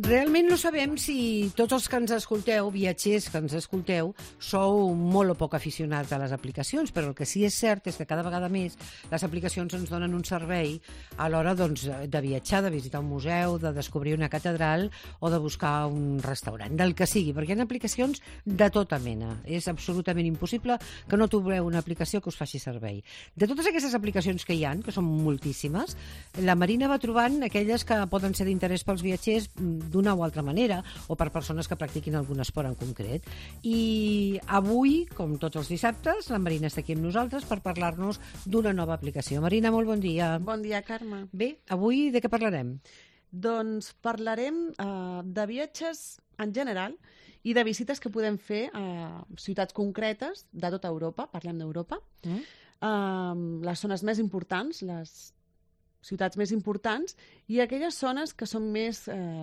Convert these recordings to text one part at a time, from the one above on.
Realment no sabem si tots els que ens escolteu, viatgers que ens escolteu, sou molt o poc aficionats a les aplicacions, però el que sí és cert és que cada vegada més les aplicacions ens donen un servei a l'hora de viatjar, de visitar un museu, de descobrir una catedral o de buscar un restaurant, del que sigui, perquè hi ha aplicacions de tota mena. És absolutament impossible que no trobeu una aplicació que us faci servei. De totes aquestes aplicacions que hi ha, que són moltíssimes, la Marina va trobant aquelles que poden ser d'interès pels viatgers d'una o altra manera, o per persones que practiquin algun esport en concret. I avui, com tots els dissabtes, la Marina està aquí amb nosaltres per parlar-nos d'una nova aplicació. Marina, molt bon dia. Bon dia, Carme. Bé, avui de què parlarem? Doncs parlarem de viatges en general i de visites que podem fer a ciutats concretes de tota Europa, parlem d'Europa, les zones més importants, les ciutats més importants i aquelles zones que són més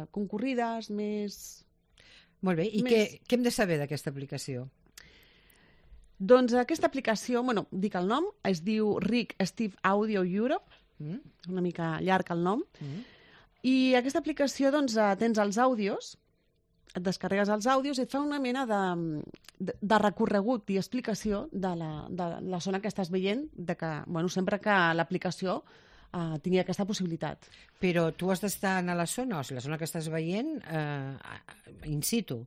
concurrides, més... Molt bé, i què hem de saber d'aquesta aplicació? Doncs aquesta aplicació, dic el nom, es diu RIC Steve Audio Europe, una mica llarg el nom, i aquesta aplicació, doncs, tens els àudios, et descarregues els àudios i et fa una mena de recorregut i explicació de la zona que estàs veient, sempre que l'aplicació tingui aquesta possibilitat. Però tu has d'estar a la zona, o sigui, la zona que estàs veient in situ.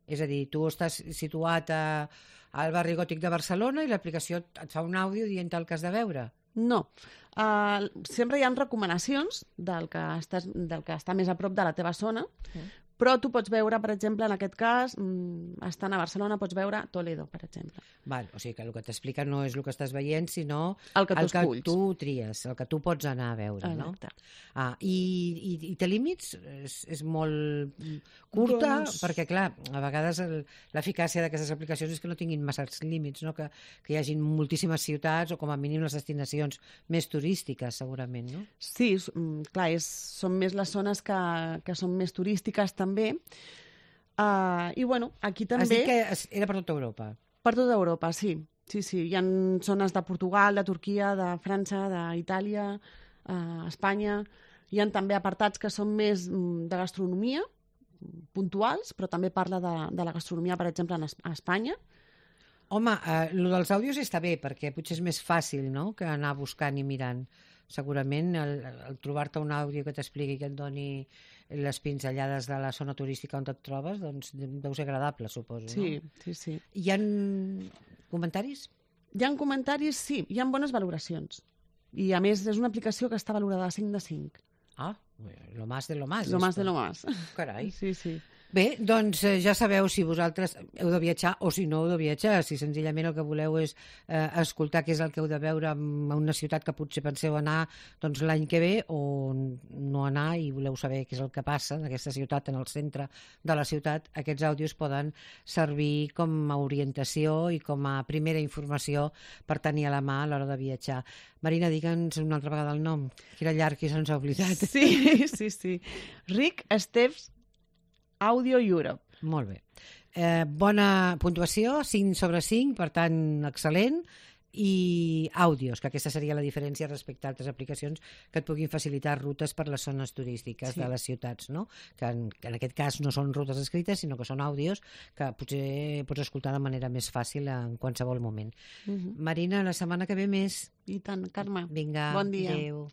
És a dir, tu estàs situat al barri gòtic de Barcelona i l'aplicació et fa un àudio dient el que has de veure. No. Sempre hi ha recomanacions del que està més a prop de la teva zona, però tu pots veure, per exemple, en aquest cas, estant a Barcelona, pots veure Toledo, per exemple. Val, o sigui que el que t'explica no és el que estàs veient, sinó el que tu tries, el que tu pots anar a veure, no? I té límits? És molt curta? Perquè, clar, a vegades l'eficàcia d'aquestes aplicacions és que no tinguin massa límits, no? Que hi hagi moltíssimes ciutats o com a mínim les destinacions més turístiques, segurament, no? Sí, clar, són més les zones que són més turístiques també. I aquí també... Has dit que era per tota Europa? Per tota Europa, sí. Sí. Hi ha zones de Portugal, de Turquia, de França, d'Itàlia, Espanya. Hi ha també apartats que són més de gastronomia, puntuals, però també parla de la gastronomia, per exemple, a Espanya. Home, el dels àudios està bé, perquè potser és més fàcil, no?, que anar buscant i mirant. Segurament el trobar-te un àudio que t'expliqui, que et doni les pinzellades de la zona turística on et trobes, doncs deu ser agradable, suposo, no? Sí. Hi ha comentaris? Hi ha comentaris, sí. Hi ha bones valoracions. I, a més, és una aplicació que està valorada a 5 de 5. Ah, lo más de lo más. Lo más de lo más. Carai. Sí. Bé, doncs ja sabeu si vosaltres heu de viatjar o si no heu de viatjar, si senzillament el que voleu és escoltar què és el que heu de veure en una ciutat que potser penseu anar doncs, l'any que ve o no anar i voleu saber què és el que passa en aquesta ciutat, en el centre de la ciutat, aquests àudios poden servir com a orientació i com a primera informació per tenir a la mà a l'hora de viatjar. Marina, digue'ns una altra vegada el nom, que era llarg i se'ns ha oblidat. Sí. RIC Steve Audio Europe. Molt bé. Bona puntuació, 5 sobre 5, per tant, excel·lent. I àudios, que aquesta seria la diferència respecte a altres aplicacions que et puguin facilitar rutes per les zones turístiques de les ciutats, no? Que en aquest cas no són rutes escrites, sinó que són àudios que potser pots escoltar de manera més fàcil en qualsevol moment. Marina, la setmana que ve més. I tant, Carme. Vinga, bon dia. Adéu.